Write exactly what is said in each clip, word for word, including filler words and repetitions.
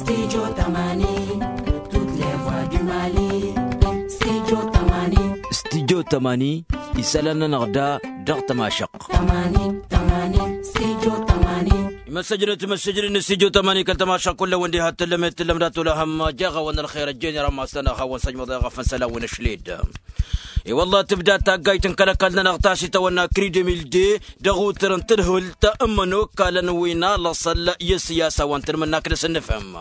Studio tămani. Studyo tămani. Isălan-nănăɣ da dăɣ-tămašăqq. Imăssăjnăt imăssăjnăt n-studyo tămani kăl-tămašăqq kull-awăn diha t-tǝllăm i-t-tǝllăm dat-olăhăm. Jeɣ-awăn ălxer ăjjeen i-rămmas-nănăɣ hawăn-săjmăḍ i-ɣăf n-isălan wi n-ašled. I-wălla tǝbda taggayt n-kăl-ăkall-nănăɣ ta s-itawănna kridemilde dăɣ-utǝr n-tǝdhǝlt n-imănokalăn wi n-alăṣăl i-ăssiyasa wa n-tanmǝnnakt dăr-s ănnăfhăm.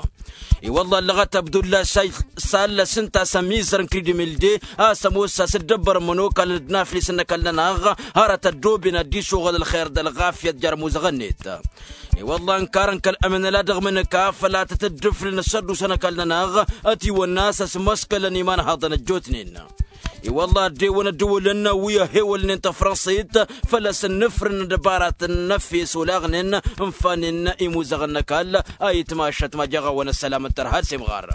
I-wălla ăllăɣăt abdulla s-a-s allăs ǝnta a-s ămizăr n-kridemilde a-s ămoos a-s dd-ăbbărăn imănokalăn d-inaflisen n-ăkall-nănăɣ hărăt ăddooben ad-dd-isuɣǝl ălxer d-ălɣafyăt jer-ămuzăɣ-net. I-wălla ǝnkarăn kăl-ămǝnăla dăɣ-imǝnǝka făl a tăt-dd-ǝflǝn s-ădduusăn ăkall-nănăɣ ătiwănna a-s ăsmăskălăn imanhaḍăn ăjjootnen. I-wălla ăddewăn ăddǝwǝlăn wi ăhewălnen tăfrănsit făl-ăsǝnnǝfrǝn dăbaratăn n-efes olaɣnen ǝnfanen imuzăɣăn n-ăkall. A itmašăt ma jeɣ-awăn ăssălam n-tărha d-semɣar.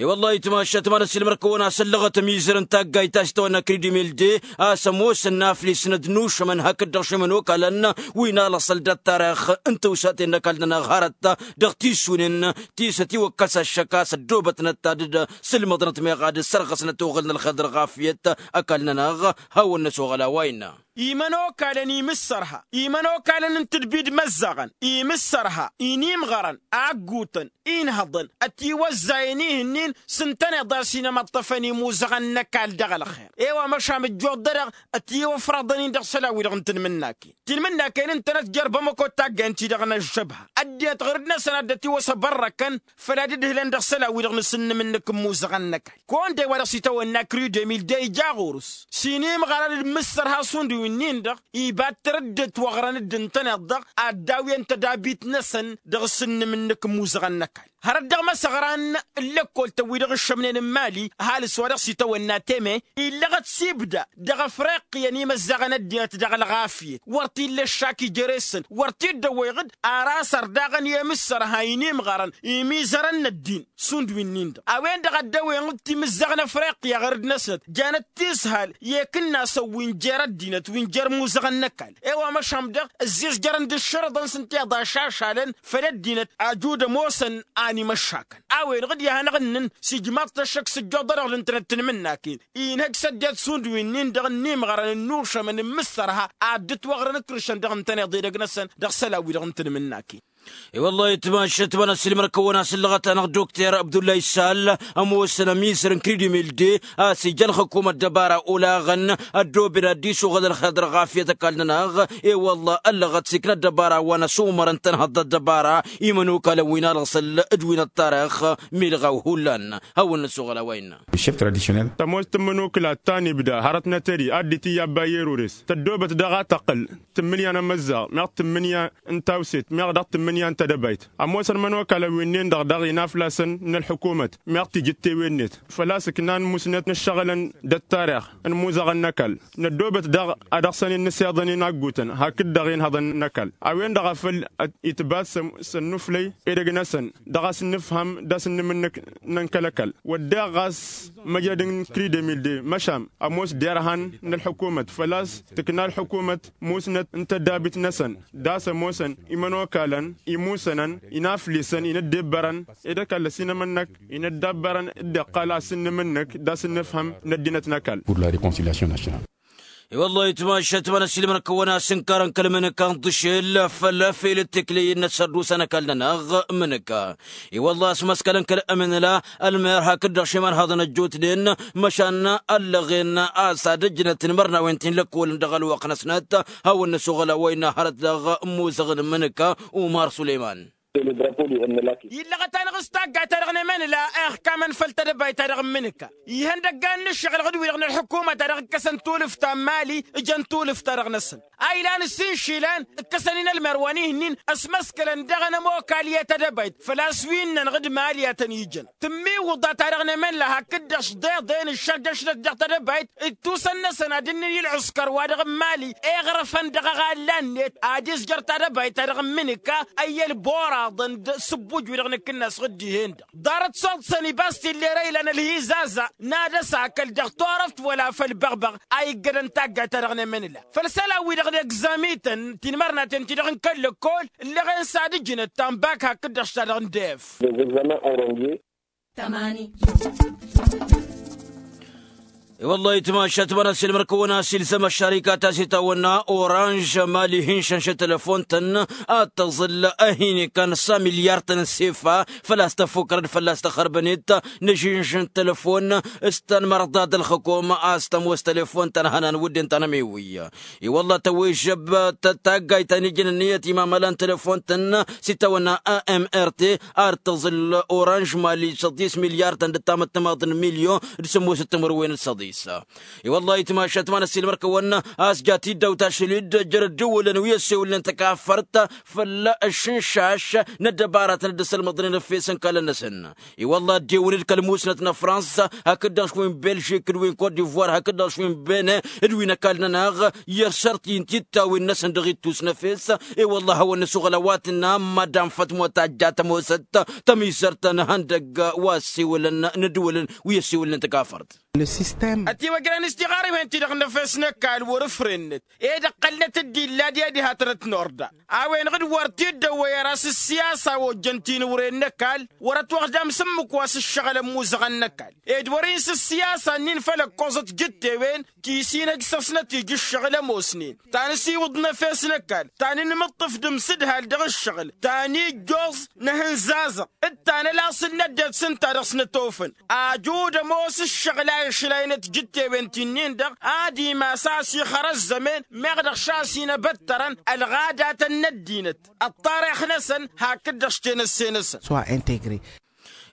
I-wălla a itmašăt ma n-ăssiilmăr-kăwăn a-s ăllăɣăt ămizăr n-taggayt ta s-itawănna kridimilde a-s ămoosăn n-aflisnăt n-ušămăn hakd-dăɣ šimăn okalăn wi n-alăṣăl d-ăttarix n-tawsaten n-ăkall-nănăɣ hărăt dăɣ-tisunen ti s-ătiwăkkăs ăššăk a-s ăddoobătnăt ad-dd-sǝlmăḍnăt meɣ ad-sărɣăsnăt oɣǝl n-ălxer d-ălɣafyăt. Ăkall-nănăɣ hawăn-năsoɣăl a-wa innă. Imănokalăn imǝssărha imănokalăn n-tǝdbi d-imăzzăɣăn imǝssărha inimɣărăn aggutăn inhăḍăn ătiwăzzayen ihǝnnin s-ǝntăneḍ a-s inămăṭṭăfăn imuzăɣăn n-ăkall dăɣ-ălxer. E-wa măšan ǝjjoḍ-dăɣ ătiwăfrăḍăn-in dăɣ-isălan-wi-dăɣ n-tanmǝnnaken tanmǝnnaken ǝntănăt jer-bamăko taggayăn-ti-dăɣ n-ăžžăbha ăddinăt ɣur-năsăn ad-dd-ătiwăsăbărrăkăn făll-ad-ǝdhǝlăn dăɣ-isălan-wi-dăɣ n-asǝnnǝm-nǝk n-imuzăɣăn n-ăkall. Kăwăn-dd e-wa dăɣ-s itawănna kridemil de ija ɣur-s s-inimɣărăn d-imǝssărha šund wi-nin-dăɣ iba t-tărǝddǝt wăɣrăn-dd ǝntăneḍ-dăɣ ad-dawǝyăn tădabit-năsăn dăɣ-asǝnnǝm-nǝk n-imuzăɣăn n-ăkall. Hărăt dăɣ-imăsăɣran n-lăkkol-tăn-wi-dăɣ ǝššămnen n-imali ăhalǝs wa dăɣ-s itawănna teme illăɣăt s-ibda dăɣ-ăfreqqiyăn imăzzaɣăn ăddinăt dăɣ-ălɣafyăt wăr t-illa ăššak ija ere-săn wăr t-dd-ăwweɣ-dd. Ar asăr daɣăn i-imǝssărha inimɣărăn imizărăn n-ăddin šund wi-nin-dăɣ a-wen-dăɣ a dd-ăwweɣ-dd timǝzzaɣ n-afriqya ɣur-năsnăt janăt tishal i-ikǝnnasăn wi n-jer-ăddinăt wi n-jer-imuzăɣăn n-ăkall. E-wa măšan dăɣ-ǝzzizjărăn d-ǝššărăḍăn s-ǝnta iḍa šašalăn făll-ăddinăt ajud ămoosăn a n-imăššakăn a-wen-dăɣ dd-ihănăɣ-ǝnnǝn s-ijmaḍ-t ăššăk s-ǝjjoḍ-dăɣ dăɣ-dd-ǝntănăt tanmǝnnaken. Inhăj s-ăddinăt šund wi-nin-dăɣ ǝnnimɣărăn ǝnnušămăn n-imǝssărha ad-dd-ătwăɣrăn ǝkrǝšăn dăɣ-ǝntăneḍ edăgg-năsăn dăɣ-isălan-wi-dăɣ n-tanmǝnnaken. I-wăllah itmašăt ma n-ăssiilmăr-kăwăn a-s ǝllăɣăt-anăɣ dokter abdullay issal ămoosăn ămizăr n-kridimilde a-s ija ălxǝkumăt dăbara olaɣăn ăddooben ad-dd-isuɣǝl ălxer d-ălɣafyăt ăkall-nănăɣ. I-wăllah ăllăɣăt s-ikna ăddăbara wa n-ăsumărăn tănhăḍ d-ăddăbara imănokalăn wi n-alăṣăl d-wi n-ăṭṭarix milɣaw hullan. Hawăn-năsuɣǝl a-wa innă. Tămoos tǝmmǝnukǝla ta n-ibda hărăt n-atări ad-dd-itǝyy abba i-erures tăddoobăt daɣ a tăqqǝl tǝmmǝnǝya n-amăzzaɣ meɣ tǝmmǝnǝya n-tawset meɣ dăɣ-tǝmmǝnǝya n-tedăbayt. Ămoosăn imănokalăn wi-nin-dăɣ daɣ inaflasăn n-ălḥukumăt meɣ tijǝttewen-net făl-a-s ǝknan musnet n-ǝššăɣǝlăn d-ăttarix n-imuzăɣăn n-ăkall. Năddoobăt daɣ ad-dăɣ-săn-in-nǝseḍăn-in aggutăn hakd-dăɣ-in hăḍăn n-ăkall a-wen-dăɣ a făl itbat s-ănnuflăy edăgg-năsăn dăɣ-a-s n-nǝfham d-asǝnnǝm-nǝk n-ănkăl-ăkall. Wădden ɣas măjăd n-kridemilde măšan ămoos derhan n-ălḥukumăt făl-a-s tǝkna ălḥukumăt musnăt n-tăddabit-năsăn d-a-s ămoosăn imănokalăn imusănăn inaflisăn inăddebbărăn ed ăkall ăsinămănnăk inăddabbărăn dd-iqqal asǝnnǝm-nǝk d-asǝnnǝfhăm n-ăddinăt n-ăkall. Pur la reconciliation national. I-wăllah itmašăt ma n-ăssiilmăr-kăwăn a-s ǝnkarăn kăl-imǝnǝka n-iḍǝšel făll-efel d-tekley-năt s-ărdusăn ăkall-nănăɣ imǝnǝka. I-wăllah a-s măskălăn kăl-ămǝnǝla ălmer hakd-dăɣ šimănhăḍăn ăjjootnen măšan ăllăɣen a-s ad-ǝjnăt imărnawen ti n-lăkkolăn dăɣ-ălwăqq-năsnăt. Hawăn-năsuɣǝl a-wa innă hărăt dăɣ-imuzăɣăn n-imǝnǝka umar suleyman. Illăɣăt-anăɣ s-taggayt-ta-dăɣ n-emănǝla ixkamăn făll-tedăbayt-ta-dăɣ n-imǝnǝka ihăndăggan n-ǝššăɣǝl ɣǝd-wi-dăɣ n-ălḥukumăt-ta-dăɣ ǝkkăsăn tulǝft ta n-mali ǝjăn tulǝft-ta-dăɣ-năsăn. A ilan ǝssin išilan ǝkkăsăn-in ălmer wa n-ihǝnnin ăsmăskălăn dăɣ-enămokal i-tedăbayt făl-a-s wi ǝnnăn ɣǝd mali a tăn-ijăn. Tǝmmiwǝḍa-ta-dăɣ n-emănǝla hakd-dăɣ s-deḍen ǝššăl d-ašlăt dăɣ-tedăbayt d-tusăn-năsăn ad-ǝnnǝn i-ălɣǝskăr wa dăɣ-n mali iɣrăfăn dăɣ-aɣalla-net ad-izjăr tadăbayt-ta-dăɣ n-imǝnǝka. Ăyyăl bora. Aḍăn-dd sǝbbuj-wi-dăɣ nǝkkǝnna a-s ɣǝddihen-dăɣ ḍarăt s-oḍsăn ibas t-illa ere ilan ălhizaza n-ad-ăsakăl dăɣ-turăft wăla făll-băɣbăɣ a iggădăn taggayt-ta-dăɣ n-emănǝla făll-isălan-wi-dăɣ n-egzamităn tinmărnaten-ti-dăɣ n-kăl-lăkkol ǝlleɣen s-ad-ǝjǝnăt ta n-bak hakd-dăɣ s-ta-dăɣ n-def. I-wălla-hi tmašat ma n-ăssiilmăr-kăwăn-as ilzăm ăššărikat a-s itawănna oranž mali hin-šănš telefon-tăn ad-tăẓǝl ăhin ikan s-a milyar-tăn n-sefa făl-a-s tăfukărăd fălla-s tăxărbănet n-ažinž n-telefon s-tanmărḍa d-ălxăkom a-s tămoos telefon-tăn hănan wǝdden ta n-ămiwǝy. I-wălla tăwwežžăb taggayt ta n-ijăn ǝnniyăt imamăla n-telefon-tăn s-itawănna a m r t ar tăẓǝl oranž mali săḍis milyar-tăn d-ăttamăt timaḍ n-milyon d-sǝmmosăt timǝrwen d-săḍis. I-wălla-hi tmašat ma n-ăssiilmăr-kăwăn a-s ja tiddawt ašăl-dd jer-ăddiwǝlăn wi ăssewǝlnen tăkafărt făll-ašǝnšaš n-ăddăbaratăn dd-ăsălmăḍnen efes n-ikalăn-năsăn. I-wălla ăddewǝn-dd kăl-musnăt n-afrans hakd-dăɣ š-wi n-belžik d-wi n-kot divoir hakd-dăɣ š-wi n-bene d-wi n-ăkall-nănăɣ i-ăššărti n-tittawin-năsăn dăɣ-ittus n-efes. I-wălla a hawăn-nǝsuɣǝl a-wa tǝnna mădam fătmot a ăjja tămoosăt tămizărt n-ihăndăgg wa ăssewălăn n-ăddǝwǝlăn wi ăssewǝlnen tăkafărt. Ătiwăjrăn istiɣarăwen-ti-dăɣ n-efes n-ăkall wăr-ǝfrennăt ed ǝqqălnăt-dd illa d-ed ihatăn-t n-orda a-wen-dăɣ d-wăr t-dd-ăwwăy ara s-ǝssiyasa ojjăn tinǝwren n-ăkall wăr-ătwăɣdam s-ǝmmǝk wa s-ǝššăɣǝl ămmuzăɣăn n-ăkall ed wăr-in s-ǝssiyasa-nin făll-ăkkoẓăt jǝttewen ti s-inăj săsnăt ija ǝššăɣǝl ămoosnen ta n-asiwǝḍ n-efes n-ăkall ta n-inmǝṭṭǝf d-imsǝdhal dăɣ-ǝššăɣǝl ta n-ijjoẓ n-ehǝnzazăɣ d-ta n-ălasǝl n-ăddinăt s-ǝnta-dăɣ s-nătofăn. Ajud ămoos ǝššăɣǝl a išlayăn ătjǝttewen ti-nin-dăɣ ad-imas a-s ixăr ăzzămen meɣ dăɣ-š a-s inăbăttărăn ălɣadatăn n-ăddinăt ăṭṭarix-năsăn hakd-dăɣ s-tenăsse-năsăn.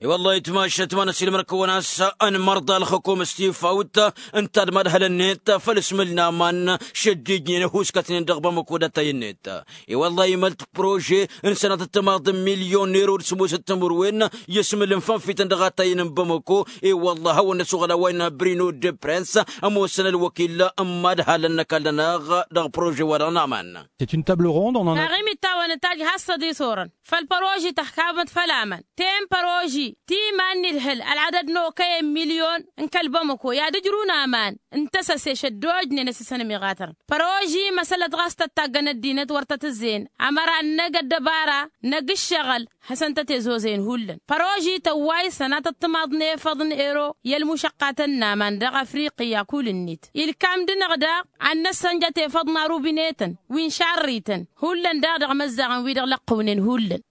I-wălla-hi tmašat ma n-ăssiilmăr-kăwăn a-s ănmărḍa ălxăkom s-tifawt ǝnta d-mad-hălăn-net făll-asmǝl n-aman šăddijnen ăhuuskătnen dăɣ-bamăko d-attayăn-net. I-wălla-hi imălt prože n-sănatăt timaḍ n-milyon n-erod s-ămoosăt timǝrwen i-asmǝl n-fănfităn dăɣ-attayăn n-bamăko. I-wălla a hawăn-năsuɣǝl a-wa innă brino de prens ămoosăn ălwăkil n-mad-halăn n-ăkall-nănăɣ dăɣ-prože-wa-dăɣ n-aman. Taɣimit ta wăn-ătajj has-săḍis orăn făll-păroži tăxkabăt făll-aman ten păroži ti iman n-idhǝl ălɣadăd n-okăyăn milyon n-kăl-bamăko i-ad-ǝjrǝwăn aman n-tăsăse šăddojnen ăsisăn ămiɣatărăn păroži măsălăt ɣas tăt-taggăn ăddinăt wăr tăt-ǝzzeyăn ămăra n-năgg ăddăbara năgg ǝššăɣǝl. Hasăn-tăt-ezozăyăn hullan păroži tăwway sănatăt timaḍ n-efăḍ n-ero i-ălmušăqqatăn n-aman dăɣ-afriqya kull-net ilkam-dăɣ-năɣ daɣ ad-năssănjăt efăḍ n-arubinetăn wi n-šarrităn hullan daɣ dăɣ-imăzzaɣăn wi-dăɣ lăqqǝwnen hullan.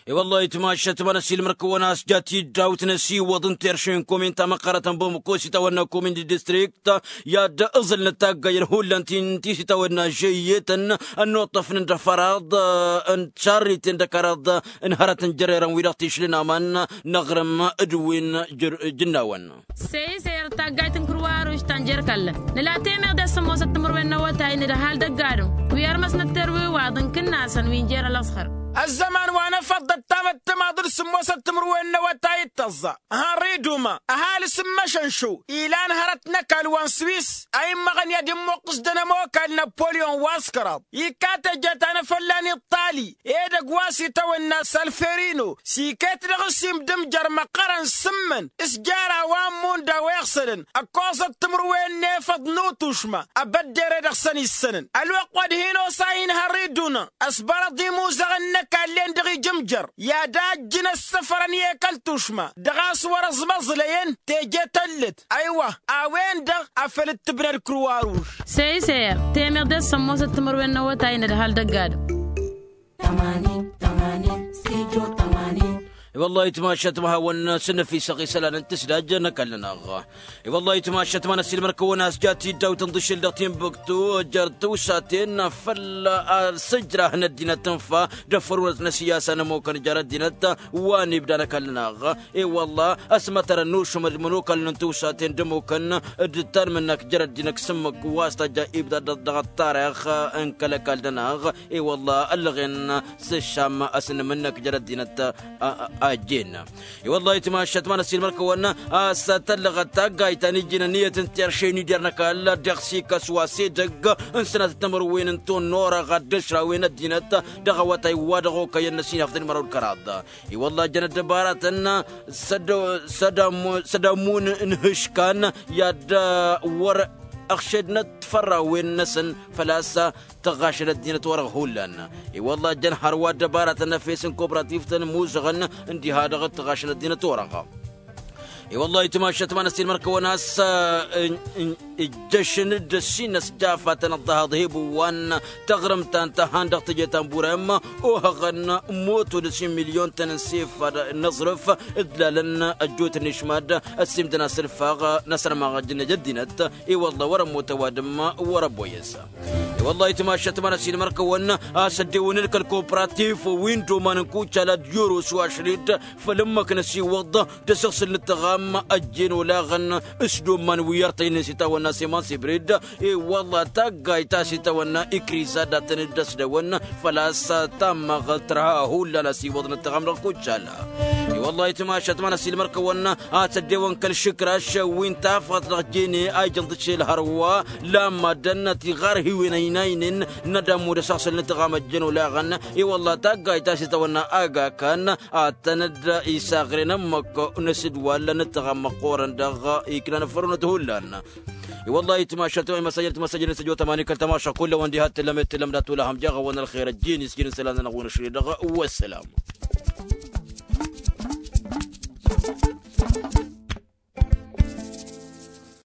I-wăllah itmašat ma n-ăsiilmăr-kăwăn a-s ja tiddawt n-asiwăḍ n-terše n-komin ta măqqărătăn bamăko s-itawănna komin d-distrikt i-ad-ǝẓǝlnăt taggayăn hullan ti-s itawănna žăyyetăn ănnuṭṭăfnen d-afăraḍ n-šarriten d-ăkăraḍ n-hărăt n-jărrerăn wi-dăɣ tišlǝn aman n-aɣrǝm d-wi n-jǝnnawăn. Sey-sey ăr taggayt n-kǝrwaruš ta n-jer-kallăn nǝla temeḍe s-sǝmmosăt timǝrwen n-awătay n-ădhal dăgg-adǝm wi ărmăsnăt terwiwaḍ n-kǝnnasăn wi n-jer-ălăẓhăr. Ăzzăman wa n-efăḍ d-ăttamăt timaḍ d-sǝmmosăt timǝrwen n-awătay d-tăẓẓa hărri d-uma ăhalǝs n-măšănšo ilan hărăt n-ăkall wa n-swis a immăɣăn i-ad-immuqqǝs d-anămokal năpolyon wa s-kăraḍ ikka teje ta n-efălla n-iṭṭali edăgg wa s-itawănna salferino s-iket dăɣ-s imdǝmjăr măqqărăn s-ǝmmǝn s-jer-a wa n-imunda wa iɣsălăn ăkkoẓăt timǝrwen n-efăḍ n-utušma ăbădder-e-dăɣ săn issănăn ălwăqq wa d-hin-osa hin-hărri d-unăn ăsbărăḍ imuzăɣăn n-ăkall-en dăɣ-ijǝmjăr i-ad-ajjǝn ăssăfărăn i-ekăl tušma dăɣ-a-s wăr-ăẓmăẓlăyăn teje tăllăt. Ăywa a-wen-dăɣ a făl dd-tǝbnăd kruwaruš. Seyser temeḍe s-sămmosăt timǝrwen n-awătay n-ădhal dăgg-adǝm. Tămanin tămanin stijo tămanin. I-wăllah itmašat ma hawăn-sǝnnăfisăɣ isălan n-tǝsdaj n-ăkall-nănăɣ. I-wăllah itmašat ma n-ăssiilmăr-kăwăn a-s ja tiddawt n-iḍǝššel dăɣ-tinbǝktu jer-tǝwsaten făll-asǝjrah n-ăddinăt tǝnfa d-afărunăt n-asǝyyasa n-ămokăn jer-ăddinăt wa n-ibda n-ăkall-nănăɣ. I-wăllah ăsmătărăn n-ušǝmăd mănokalăn n-tǝwsaten d-ămokăn d-tanmǝnnak jer-ăddinăt s-ǝmmǝk wa s-tajja ibda dăɣ-ăṭṭarix n-kăl-ăkall-nănăɣ. I-wăllah ăllăɣen s-ǝššam ăsnǝmǝnnăk jer-ăddinăt. ăjjeen. I-wăllah itmašat ma n-ăssiilmăr-kăwăn a-s tăllăɣăt taggayt ta n-ijjin ănniyăt n-terše n-ider n-ăkall dăɣ-s ikăs wa s-edăgg n-sănatăt timǝrwen n-tonnora ɣad dăšrawen ăddinăt dăɣ-awătay wa dăɣ-okăyăn n-ăsinaf d-ănmăraw d-kăraḍ. I-wăllah jăn ăddăbaratăn s-ăddamun n-ihǝškan i-ad-wăr-ăɣšădnăt fărrawen-năsăn făl-a-s tăɣašăn ăddinăt-wa-dăɣ hullan. I-wăllah jăn hărwa ăddăbaratăn efes n-koprativtăn muzăɣăn n-diha-dăɣ tăɣašăn ăddinăt-wa-dăɣ. I-wăllah itmašat ma n-ăssiilmăr-kăwăn a-s ǝjjăšăn-dd ăssin ăsjafatăn ăḍḍăhaḍ hebǝwwan taɣrǝmt ta n-tahan dăɣ-teje ta n-burem ohăɣăn moto d-ăssin milyon-tăn n-sefad n-aẓrǝf ǝdlalăn ăjjootăn išmad ăssiimdăn asǝlfaɣ n-asărmaɣ ăjjǝnnăj ăddinăt. I-wăllah wăr-ămmut ăwadǝm wăr-ăbboyăs. I-wăllah itmašat ma n-ăssiilmăr-kăwăn a-s ăddewăn ǝlkăl kopratif wi n-doman n-kuccal ad-jorosu ašăl-dd făll-ǝmmǝk n-ăsiwăḍ d-asǝɣsǝl n-ǝttăɣam ăjjeen olaɣăn s-doman wi ărtăynen s-itawănna seman sibrid. I-wăllah taggayt ta s-itawănna ikriza datăn-dd ăsdăwăn făl-a-s tammaɣălt tărha hullan ăsiwăḍ n-ǝttăɣam dăɣ-kuccal. I-wăllah itmašat ma n-ăssiilmăr-kăwăn a-s ăddewăn kăl-išǝkraš wi n-tafɣăt dăɣ-jene a ijăn d-ašel hărwa lamma dănnăt iɣarhiwen ăynaynen n-ad-ămmud asăɣsăl n-ǝttăɣam ăjjăn olaɣăn. I-wăllah taggayt ta s-itawănna agakan ad-tăn-dd-isaɣren ǝmmǝk n-asǝdwal n-ǝttăɣam măqqoorăn dăɣ-iknan ăffărunăt hullan. I-wăllah itmašat ma imăsajăn timăsajăn n-săjo tămani kăl-tămaša kull-ăwăn diha t-tǝllăm d-tǝllăm dat-ulahăm jaɣ-awăn ălxer ăjjeen isjin n-isălan-nănăɣ wăn ašăl-i-dăɣ. Wăssălam.